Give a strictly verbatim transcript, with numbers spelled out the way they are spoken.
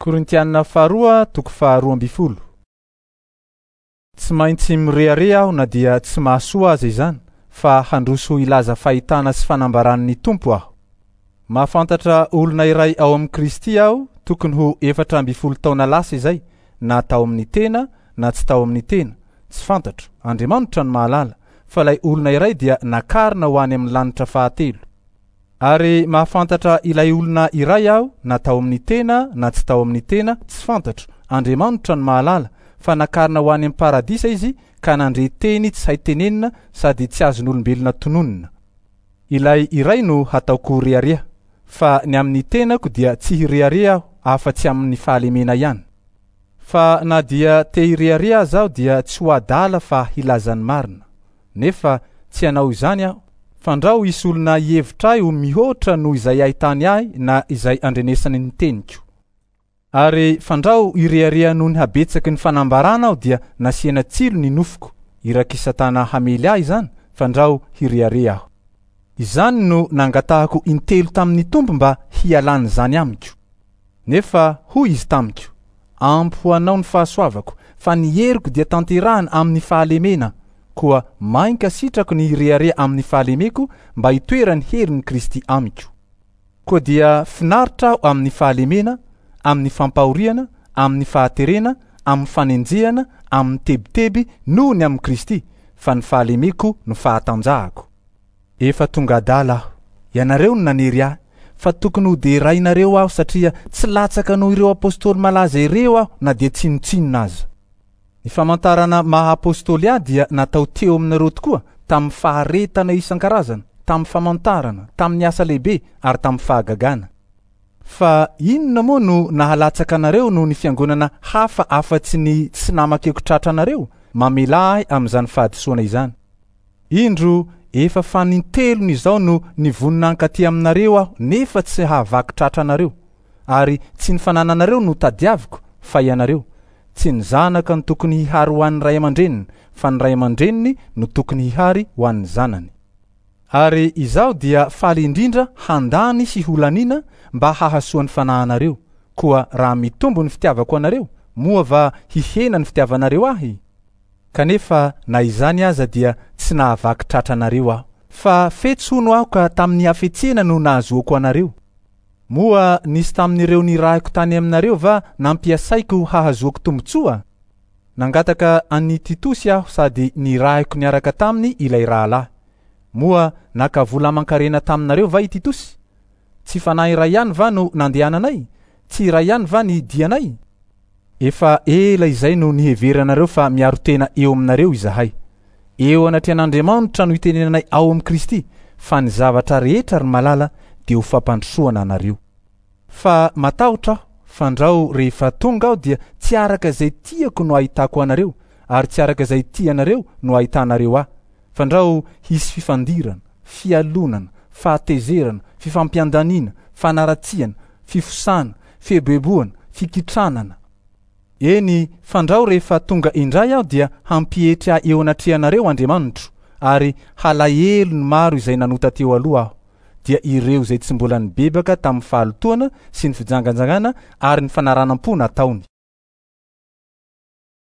Korintiana faharoa toko faharoa amby folo. Tsy maintsy mirehareha aho na dia tsy mahasoa aza izany, fa handroso hilaza fahitana sy fanambaran'ny Tompo aho. Mahafantatra olona iray ao amin'i Kristy aho tokony ho efatra amby folo taona lasa izay, na tao amin'ny tena na tsy tao amin'ny tena, tsy fantatro, Andriamanitra no mahalala, fa ilay olona iray dia nakarina ho any amin'ny lanitra fahatelo. Ary mahafantatra ilay olona iray aho na tao amin'ny tena na tsy tao amin'ny tena, tsy fantatro, Andriamanitra no mahalala, fa nakarina ho any amin'ny paradisa izy ka nandre teny tsy hay tenenina sady tsy azon'olombelona tononina. Ilay iray no hataoko rehareha, fa ny amin'ny tenako dia tsy hirehareha aho afa-tsy amin'ny fahalemena ihany. Fa na dia te hirehareha aza aho dia tsy ho adala fa hilaza ny marina. Nefa tsy hanao izany aho, fandrao hisy olona hihevitra ahy ho mihoatra noho izay ahitany ahy na izay andrenesany ny teniko. Ary fandrao hirehareha noho ny habetsaky ny fanambarana aho dia nasiana tsilo ny nofoko, irak'i Satana hamely ahy izany, fandrao hirehareha aho. Izany no nangatahako intelo tamin'ny Tompo mba hialan'izany amiko. Nefa hoy izy tamiko: ampy ho anao ny fahasoavako, fa ny heriko dia tanterahana amin'ny fahalemena. Koa mainka sitrako ny hirehareha amin'ny fahalemeko mba hitoeran'ny herin'i Kristy amiko. Koa dia finaritra aho amin'ny fahalemena, amin'ny fampahoriana, amin'ny fahaterena, amin'ny fanenjehana, amin'ny tebiteby noho ny amin'i Kristy, fa ny fahalemeko no fahatanjahako. Efa tonga adala aho, ianareo no nanery ahy, fa tokony ho derainareo aho satria tsy latsaka noho ireo apôstôly malaza ireo aho na dia tsinontsinona aza. Ny famantarana maha apôstôly ahy dia natao teo aminareo tokoa tamin'ny faharetana isan-karazana, tamin'ny famantarana, tamin'ny asa lehibe ary tamin'ny fahagagana. Fa inona moa no nahalatsaka anareo noho ny fiangonana hafa afa-tsy ny tsy namakeko tratra anareo? Mamelà ahy amin'izany fahadisoana izany. Indro efa fanintelony izao no nivonona hankaty aminareo aho nefa tsy hahavaky tratra anareo. Ary tsy ny fanananareo no tadiaviko fa ianareo. Tsy ny zanaka no tokony hihary ho an'ny ray aman-dreniny, fa ny ray aman-dreniny no tokony hihary ho an'ny zanany. Ary izaho dia faly indrindra handany sy holanina mba hahasoa ny fanahinareo. Koa raha mitombo ny fitiavako anareo, moa va hihena ny fitiavanareo ahy? Kanefa na izany aza dia tsy nahavaky tratra anareo aho, fa fetsy hono aho ka tamin'ny hafetsena no nahazoako anareo. Moa nisy tamin'ireo nirahiko tany aminareo va nampiasaiko hahazoako tombontsoa? Nangataka an'i Titosy aho sady nirahiko niaraka taminy ilay rahalahy. Moa naka vola aman-karena taminareo va i Titosy? Tsy fanahy iray ihany va no nandehananay? Tsy iray ihany va ny dianay? Efa ela izay no niheveranareo fa miaro tena eo aminareo izahay. Eo anatrehan'Andriamanitra no itenenanay ao amin'i Kristy, fa ny zavatra rehetra ry malala dia ho fampandrosoana anareo. Fa matahotra aho, fandrao rehefa tonga aho dia tsy araka izay tiako no ahitako anareo, ary tsy araka izay tianareo no ahitanareo ahy. Fandrao hisy fifandirana, fialonana, fahatezerana, fifampiandaniana, fanaratsiana, fifosana, fieboeboana, fikitranana. Eny, fandrao rehefa tonga indray aho dia hampietry ahy eo anatrehanareo Andriamanitro, ary halahelo ny maro izay nanota teo aloha aho, dia ireo izay tsy mbola nibebaka tamin'ny fahalotoana sy ny fijanganjangana ary ny fanaranam-po nataony.